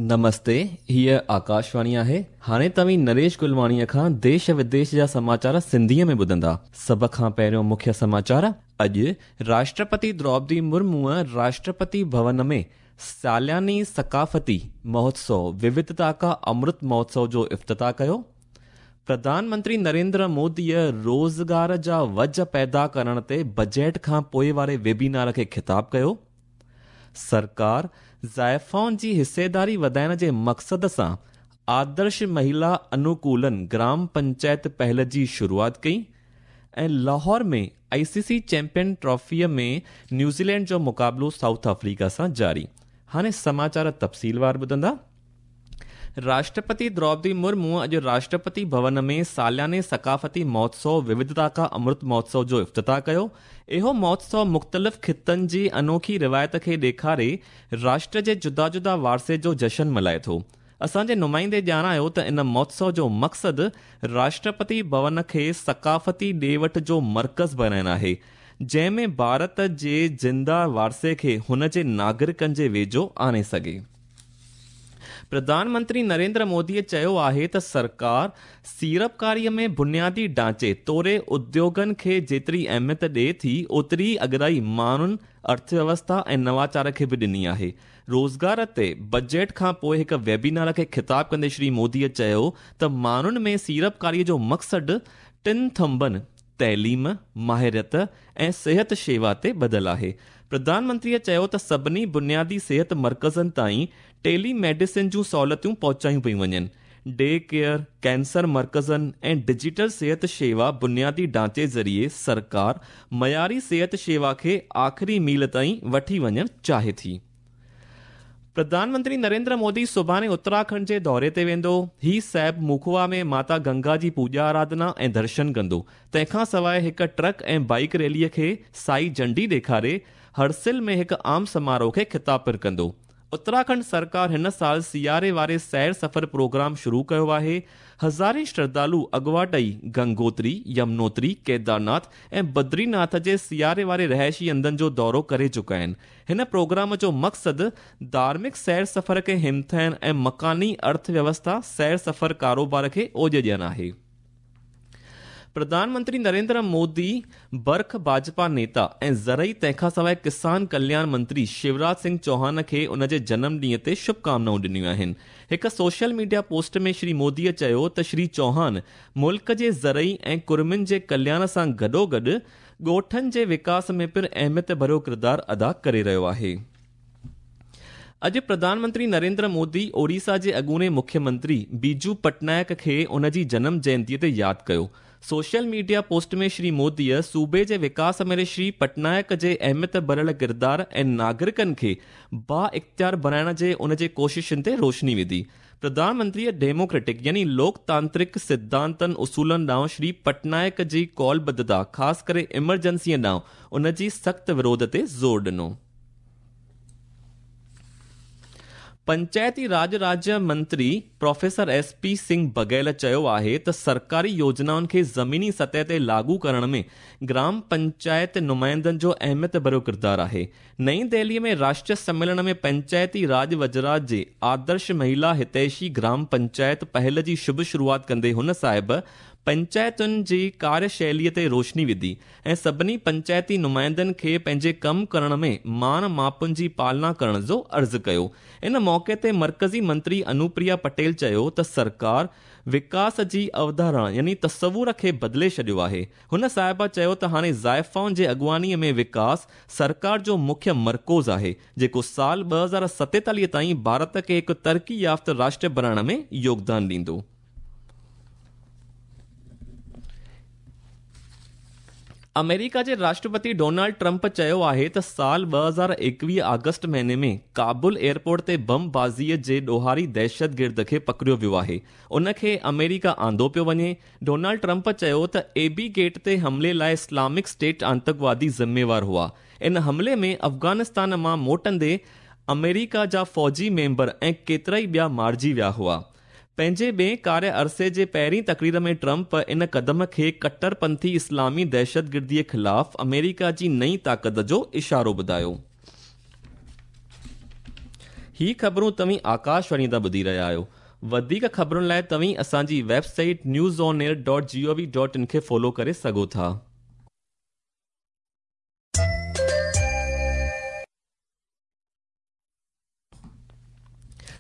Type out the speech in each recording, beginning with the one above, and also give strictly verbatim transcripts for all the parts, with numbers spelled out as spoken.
نمستي، हीअ आकाशवाणी आहे। हाणे तव्हीं नरेश गुलवाणीअ खां देश विदेश जा समाचार सिंधीअ में ॿुधंदा। सभ खां पहिरियों मुख्य समाचार। अॼु राष्ट्रपति द्रौपदी मुर्मूअ राष्ट्रपति भवन में सालियानी सकाफ़ती महोत्सव विविधता का अमृत महोत्सव जो इफ्तिताह कयो। प्रधानमंत्री नरेंद्र मोदीअ रोज़गार जा वज पैदा करण ते बजट खां पोइ वारे वेबिनार खे ख़िताब कयो। सरकार ज़ाइफ़ाउनि जी हिस्सेदारी वधाइण जे मक़सद सां आदर्श महिला अनुकूलन ग्राम पंचायत पहल जी शुरूआत कई। ऐं लाहौर में आईसीसी चैंपियन ट्रॉफीअ में न्यूज़ीलैंड जो मुक़ाबिलो साउथ अफ्रीका सां जारी। हाणे समाचार तफ़सीलवार ॿुधंदा। राष्ट्रपति द्रौपदी मुर्मू अॼु राष्ट्रपति भवन में सालियाने सकाफ़ती महोत्सव विविधता का अमृत महोत्सव जो इफ्तिताह कयो। इहो महोत्सव मुख़्तलिफ़ ख़ितनि जी अनोखी रिवायत खे ॾेखारे राष्ट्र जे जुदा जुदा वारसे जो जशन मल्हाए थो। असांजे नुमाइंदे ॼाणायो त इन महोत्सव जो मक़सदु राष्ट्रपति भवन खे सकाफ़ती ॾे वठ जो मर्कज़ बणाइण आहे, जंहिंमें भारत जे ज़िंदा वारसे खे हुन जे नागरिकनि जे वेझो आणे सघे। प्रधानमंत्री नरेंद्र मोदीअ चयो आहे त सरकार सीड़पकारीअ में बुनियादी ढांचे तोड़े उद्योगनि खे जेतिरी अहमियत ॾिए थी, ओतिरी अगराई माण्हुनि, अर्थव्यवस्था ऐं नवाचार खे बि ॾिनी आहे। रोज़गार ते बजट खां पोइ हिकु वेबिनार खे ख़िताब कंदे श्री मोदीअ चयो त माण्हुनि में सीड़पकारीअ जो मक़सदु टिनि थंभनि तइलीम, माहिरियत ऐं सिहत शेवा ते ॿधल आहे। प्रधानमंत्रीअ चयो त सभिनी बुनियादी सिहत मर्कज़नि ताईं टेली मेडिसिन जूं सहूलियतूं पहुचायूं पयूं वञनि। डे केयर, कैंसर मर्कज़नि ऐं डिजिटल सिहत शेवा बुनियादी ढांचे ज़रिए सरकार मयारी सिहत शेवा खे आख़िरी मील ताईं वठी वञणु चाहे थी। प्रधानमंत्री नरेंद्र मोदी सुभाणे उत्तराखंड जे दौरे ते वेंदो। ही साहिब मुखवा में माता गंगा जी पूॼा आराधना ऐं दर्शन कंदो। तंहिंखां सवाइ हिकु ट्रक ऐं बाइक रैलीअ खे साई झंडी ॾेखारे हरसिल में हिकु आम समारोह खे ख़िताब पिणु कंदो। उत्तराखंड सरकार हिन साल सियारे वारे सैर सफ़र प्रोग्राम शुरू कयो आहे। हज़ारे श्रद्धालु अॻवाट ई गंगोत्री, यमुनोत्री, केदारनाथ ऐं बद्रीनाथ जे सियारे वारे रिहाइशी हंधनि जो दौरो करे चुका आहिनि। हिन प्रोग्राम जो मक़सदु धार्मिक सैर सफ़र खे हिमथाइण ऐं मकानी अर्थव्यवस्था सैर सफ़र कारोबार खे ओज ॾियणु आहे। प्रधानमंत्री नरेंद्र मोदी बर्ख भाजपा नेता ऐं ज़रई तंहिंखां सवाइ किसान कल्याण मंत्री शिवराज सिंह चौहान खे उन जे जनम ॾींहं ते शुभकामनाऊं ॾिनियूं आहिनि। हिकु सोशल मीडिया पोस्ट में श्री मोदीअ चयो त श्री चौहान मुल्क जे ज़रई ऐं कुर्मिनि जे कल्याण सां गॾोगॾु ॻोठनि जे विकास में पिणु अहमियत भरियो किरदारु अदा करे रहियो आहे। अॼु प्रधानमंत्री नरेंद्र मोदी ओडिशा जे अॻूणे मुख्यमंत्री बीजू पटनायक खे उन जी जनम जयंतीअ ते यादि कयो। सोशल मीडिया पोस्ट में श्री मोदीअ सूबे जे विकास में श्री पटनायक जे अहमियत भरियल किरदार ऐं नागरिकनि खे बा इख़्तियार बणाइण जे उन जे कोशिशुनि ते रोशनी विधी। प्रधानमंत्रीअ डेमोक्रेटिक यानी लोकतांत्रिक सिद्धांतनि उसूलनि ॾांहुं श्री पटनायक जी कौलबद्धता, ख़ासि करे इमरजेंसीअ ॾांहुं उन जी सख़्तु विरोध ते ज़ोर ॾिनो। पंचायती राज राज्य मंत्री professor S P Singh Baghel चयो आहे त सरकारी योजनाउनि खे ज़मीनी सतह ते लागू करण में ग्राम पंचायत नुमाइंदनि जो अहमियत भरियो किरदारु आहे। नई दिल्लीअ में राष्ट्रीय सम्मेलन में पंचायती राज वज़रात जे आदर्श महिला हितैषी ग्राम पंचायत पहल जी शुभ शुरूआत कंदे हुन साहिब पंचायतुनि जी कार्यशैलीअ ते रोशनी विधी ऐं सभिनी पंचायती नुमाइंदनि खे पंहिंजे कमु करण में मान मापुनि जी पालना करण जो अर्ज़ु कयो। इन मौक़े ते मर्कज़ी मंत्री अनुप्रिया पटेल चयो त सरकार विकास जी अवधारणा यानी तसवुर खे बदिले छॾियो आहे। हुन साहिबा चयो त हाणे ज़ाइफ़ाउनि जे अॻुवाणीअ में विकास सरकार जो मुख्य मर्कोज़ आहे, जेको साल ॿ हज़ार सतेतालीह ताईं भारत खे हिकु तरक़ी याफ़्त राष्ट्र बणाइण में योगदान ॾींदो। अमेरिका जे राष्ट्रपति डोनाल्ड ट्रंप चयो आहे त साल ॿ हज़ार एकवीह आगस्ट महीने में काबुल एयरपोर्ट ते बमबाज़ीअ जे ॾोहारी दहशतगिर्द खे पकड़ियो वियो आहे, उन खे अमेरिका आंदो पियो वञे। डोनाल्ड ट्रंप चयो त एबी गेट ते हमले लाइ इस्लामिक स्टेट आतंकवादी ज़िम्मेवार हुआ। इन हमले में अफ़गानिस्तान मां मोटंदे अमेरिका जा फ़ौजी मेंबर ऐं केतिरा ई ॿिया मारिजी विया हुआ। पंहिंजे ॿिए कार्य अरसे जे पहिरीं तकरीर में ट्रंप इन कदम खे कट्टरपंथी इस्लामी दहशतगिर्दीअ ख़िलाफ़ अमेरिका जी नई ताक़त जो इशारो ॿुधायो। ही ख़बरूं तव्हीं आकाशवाणी तां ॿुधी रहिया आहियो। वधीक ख़बरुनि लाइ तव्हीं असांजी website news on air dot G O V dot in खे फॉलो करे सघो था।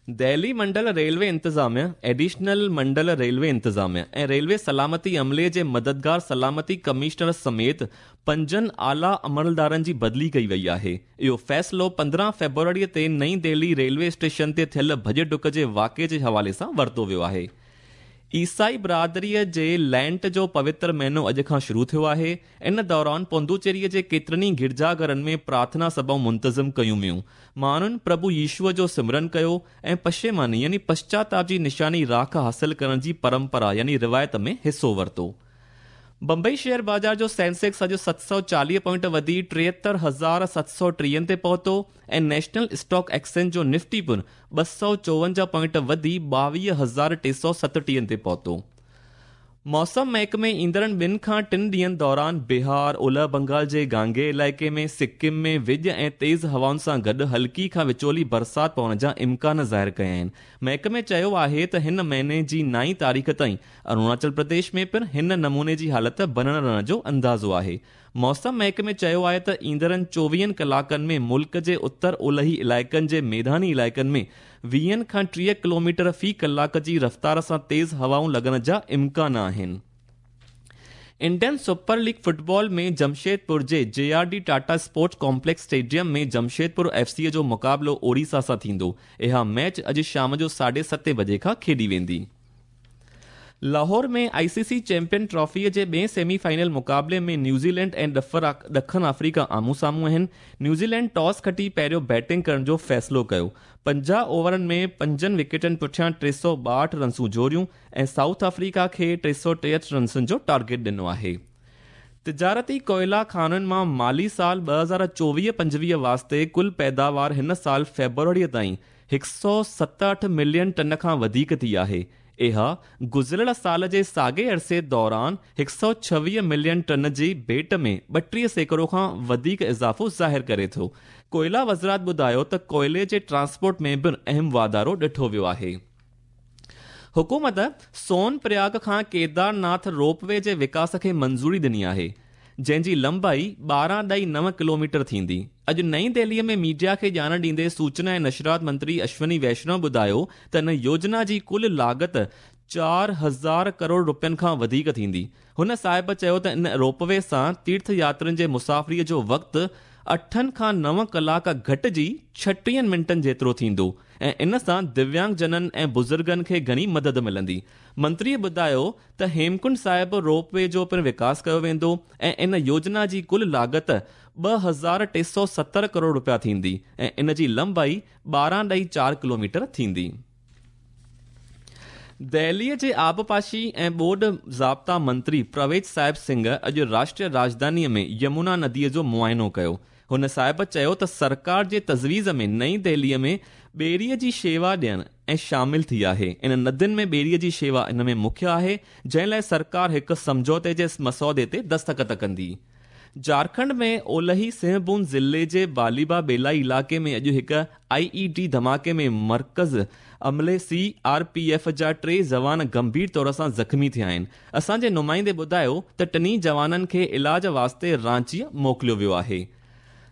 दिल्ली मंडल रेलवे इंतिज़ामिया, एडिशनल मंडल रेलवे इंतिज़ामिया ऐं रेलवे सलामती अमले जे मददगार सलामती कमिश्नर समेत पंजनि आला अमलदारनि जी बदिली कई वई आहे। इहो फ़ैसिलो पंद्रहं फ़ेब्रुअरी ते नई दिल्ली रेलवे स्टेशन ते थियल भॼ डुक जे वाक़िए जे हवाले सां वरितो वियो आहे। ईसाई बिरादरीअ जे लैंट जो पवित्र महीनो अॼु खां शुरू थियो आहे। इन दौरान पुदुचेरीअ जे केतिरनि गिरजाघरनि में प्रार्थना सभाऊं मुंतज़िम कयूं वियूं। माण्हुनि प्रभु यीशुअ जो सिमरन कयो ऐं पशेमानी यानी पश्चाताप जी निशानी राख हासिल करण जी परंपरा यानी रिवायत में हिसो वरितो। बंबई शेयर बाज़ार जो सेंसेक्स अॼु सत सौ चालीह पॉइंट वधी टेहतरि हज़ार सत सौ टीहनि ते पहुतो ऐं नेशनल स्टॉक एक्सचेंज जो निफ्टी पिणु ॿ सौ चोवंजाह पॉइंट वधी ॿावीह हज़ार टे सौ सतटीहनि ते पहुतो। मौसम महकमे ईंदड़नि ॿिनि खां टिनि ॾींहंनि दौरान बिहार, ओलह बंगाल जे गांगे इलाइक़े में, सिक्किम में विॼ ऐं तेज़ हवाउनि सां गॾु हल्की खां विचोली बरसाति पवण जा इम्कान ज़ाहिर कया आहिनि। महकमे चयो आहे त हिन महीने जी नाई तारीख़ ताईं अरुणाचल प्रदेश में पिणु हिन नमूने जी हालत बणणु रहण जो अंदाज़ो आहे। मौसम महकमे चयो आहे त ईंदड़नि चोवीहनि कलाकनि में मुल्क जे उत्तर ओलही इलाइक़नि जे मैदानी इलाइक़नि में वीहनि खां टीह किलोमीटर फ़ी कलाक जी रफ़्तार सां तेज़ हवाऊं लॻण जा इम्कान आहिनि। Indian super league football में जमशेदपुर जे J R D Tata sports complex stadium में जमशेदपुर एफ सी जो मुक़ाबिलो ओडिशा सां थींदो। इहा मैच अॼु शाम जो साढे सते बजे खां खेॾी वेंदी। लाहौर में आई सी सी चैंपियन ट्रॉफीअ जे ॿिए सेमीफाइनल मुक़ाबले में न्यूज़ीलैंड ऐं ॾखण अफ्रीका आम्हूं साम्हूं आहिनि। न्यूज़ीलैंड टॉस खटी पहिरियों बैटिंग करण जो फ़ैसिलो कयो। पंजाह ओवरनि में पंजनि विकेटनि पुठियां टे सौ ॿाहठि रनसूं जोड़ियूं ऐं साउथ अफ्रीका खे टे सौ टेहठि रनसुनि जो टारगेट ॾिनो आहे। तिजारती कोयला खानुनि मां माली साल ॿ हज़ार चोवीह पंजवीह वास्ते कुल पैदावार हिन साल फ़ेब्रुअरीअ ताईं हिकु सौ सतहठि मिलियन टन खां वधीक थी आहे। इहा गुज़िरियल साल जे साॻे अरसे दौरान हिकु सौ छवीह मिलियन टन जी भेट में ॿटीह सैकड़ो खां वधीक इज़ाफ़ो ज़ाहिर करे थो। कोयला वज़ारत ॿुधायो त कोयले जे ट्रांसपोर्ट में बि अहम वाधारो ॾिठो वियो आहे। हुकूमत सोन प्रयाग खां केदारनाथ रोपवे जे विकास खे मंज़ूरी ॾिनी आहे, जंहिंजी लंबाई ॿारहं ॾाई नव किलोमीटर थींदी। अॼु नई दिल्लीअ में मीडिया खे ॼाण ॾींदे सूचना ऐं नशरात मंत्री अश्विनी वैष्णव ॿुधायो त इन योजना जी कुल लागत चारि हज़ार करोड़ रुपयनि खां वधीक थींदी। हुन साहिब चयो त इन रोपवे सां तीर्थ यात्रियुनि जे मुसाफ़िरीअ जो वक़्तु अठनि खां नव कलाक घटिजी छटीहनि मिंटनि जेतिरो थींदो ऐं इन सां दिव्यांगजननि ऐं बुज़ुर्गनि खे घणी मदद मिलंदी। मंत्रीअ ॿुधायो त हेमकुंड साहिब रोपवे जो पिणु विकास कयो वेंदो ऐं इन योजना जी कुल लागत ॿ हज़ार टे सौ सतरि करोड़ रुपया थींदी ऐं इन जी लंबाई ॿारहं ॾाई चारि किलोमीटर थींदी। दिल्लीअ जे आबपाशी ऐं ॿोॾ ज़ाब्ता मंत्री प्रवेश साहिब सिंह अॼु राष्ट्रीय राजधानीअ में यमुना नदीअ जो मुआइनो कयो। हुन साहिब चयो त सरकार जे तजवीज़ में नई दिल्लीअ में ॿेड़ीअ जी शेवा ॾियण ऐं शामिल थी आहे। इन नदियुनि में ॿेड़ीअ जी शेवा इन में मुख्य आहे, जंहिं लाइ सरकार हिकु सम्झौते जे मसौदे ते दस्तख़त कंदी। झारखंड में ओलही सिंहभूम ज़िले जे बालीबा बेलाई इलाइक़े में अॼु हिकु आई ई डी धमाके में मर्कज़ अमले सी आर पी एफ जा टे जवान गंभीर तौर सां ज़ख़्मी थिया आहिनि। असांजे नुमाइंदे ॿुधायो त टिन्ही जवाननि खे इलाज वास्ते रांचीअ मोकिलियो वियो आहे।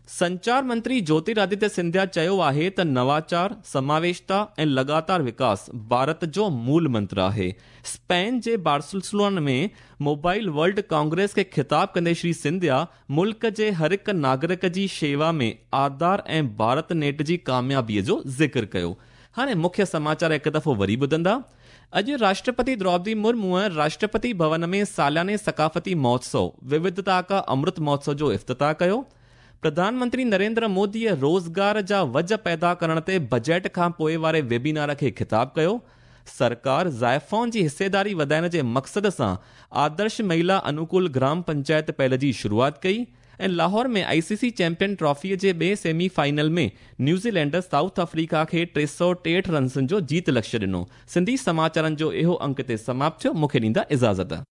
संचार मंत्री ज्योतिरादित्य सिंधिया चयो आहे त नवाचार, समावेशता ऐं लगातार विकास भारत जो मूल मंत्र आहे। स्पेन जे बार्सिलोना में मोबाइल वर्ल्ड कांग्रेस खे ख़िताब कंदे श्री सिंधिया मुल्क जे हर हिकु नागरिक जी शेवा में आधार ऐं भारत नेट जी कामयाबीअ जो ज़िक्र कयो। हाणे मुख्य समाचार हिकु दफ़ो वरी ॿुधंदा। अॼु राष्ट्रपति द्रौपदी मुर्मू राष्ट्रपति भवन में सालाने सकाफ़ती महोत्सव विविधता का अमृत महोत्सव जो इफ्तिताह कयो। प्रधानमंत्री नरेंद्र मोदीअ रोज़गार जा वज पैदा करण ते बजट खां पोइ वारे वेबिनार खे ख़िताब कयो। सरकार ज़ाइफ़ाउनि जी हिस्सेदारी वधाइण जे मक़सद सां आदर्श महिला अनुकूल ग्राम पंचायत पहल जी शुरूआत कई। ऐं लाहौर में आई सी सी चैंपियन ट्रॉफीअ जे ॿिए सेमीफाइनल में न्यूज़ीलैंड साउथ अफ्रीका खे टे सौ टेहठि रनसुनि जो जीत लक्ष्य ॾिनो। सिंधी समाचारनि जो इहो अंक ते समाप्त थियो। मूंखे ॾींदा इजाज़त।